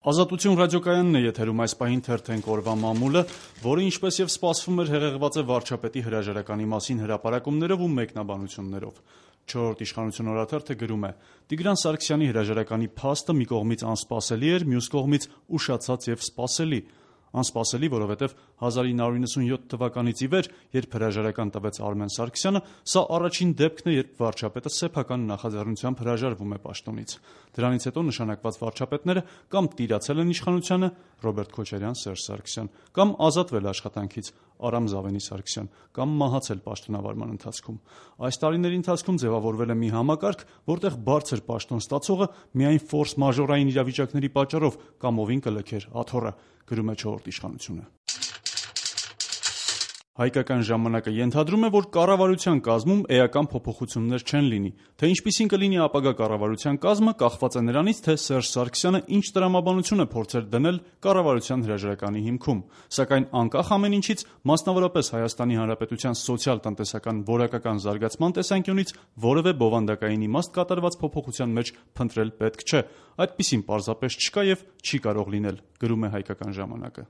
Ազատություն ռադիոկայանն է եթերում այս պահին թերթենք օրվա մամուլը, որը ինչպես եւ սպասվում էր հեղեղված է վարչապետի հրաժարականի մասին հրապարակումներով ու մեկնաբանություններով։ Չորրորդ իշխանություն օրաթերթը գրում է. Տիգրան Սարգսյանի հրաժարականի փաստը մի կողմից անսպասելի էր, մյուս կողմից ուշացած եւ սպասելի։ Անսպասելի, որովհետև 1997 թվականից ի վեր, երբ հրաժարական տվեց Արմեն Սարգսյանը, սա առաջին դեպքն է, երբ վարչապետը սեփական նախաձեռնությամբ հրաժարվում է պաշտոնից։ Դրանից հետո նշանակված վարչապետները կամ տիրացել են իշխանությանը Ռոբերտ Քոչարյան, Սերժ Սարգսյան, կամ ազատվել աշխատանքից Արամ Զավենի Սարգսյան, կամ մահացել պաշտոնավարման ընթացքում։ Այս տարիների ընթացքում ձևավորվել է մի համակարգ, որտեղ բարձր պաշտոն ստացողը միայն ֆորս մաժորային իրավիճակների պատճառով կամովին կլքեր աթոռը, գրում է չորրորդ իշխանությունը։ Հայկական ժամանակը ենթադրում է, որ կառավարության կազմում էական փոփոխություններ չեն լինի, թե ինչպիսին կլինի ապագա կառավարության կազմը կախված է նրանից, թե Սերժ Սարգսյանը ինչ տրամաբանություն է փորձել դնել կառավարության հրաժարականի հիմքում, սակայն անկախ ամեն ինչից, մասնավորապես Հայաստանի Հանրապետության սոցիալ-տնտեսական որակական զարգացման տեսանկյունից որևէ բովանդակային իմաստ կատարված փոփոխության մեջ փնտրել պետք չէ, այդպիսին պարզապես չկա եւ չի կարող լինել, գրում է Հայկական ժամանակը։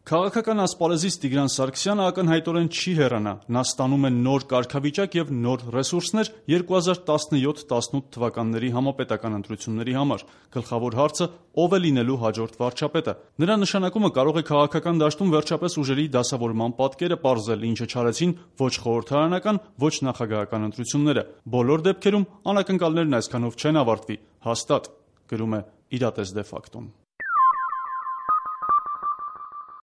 Քաղաքական ասպարեզից Տիգրան Սարգսյանը ակնհայտորեն չի հեռանա, նա ստանում է նոր կարգավիճակ եւ նոր ռեսուրսներ 2017-18 թվականների համապետական ընտրությունների համար։ Գլխավոր հարցը ով է լինելու հաջորդ վարչապետը։ Նրա նշանակումը կարող է քաղաքական դաշտում վերջապես ուժերի դասավորման պատկերը պարզել, ինչը չարեցին ոչ խորհրդարանական, ոչ նախագահական ընտրությունները։ Բոլոր դեպքերում անակնկալներն այսքանով չեն ավարտվի, հաստատ, գրում է Իրատես դե ֆակտոն։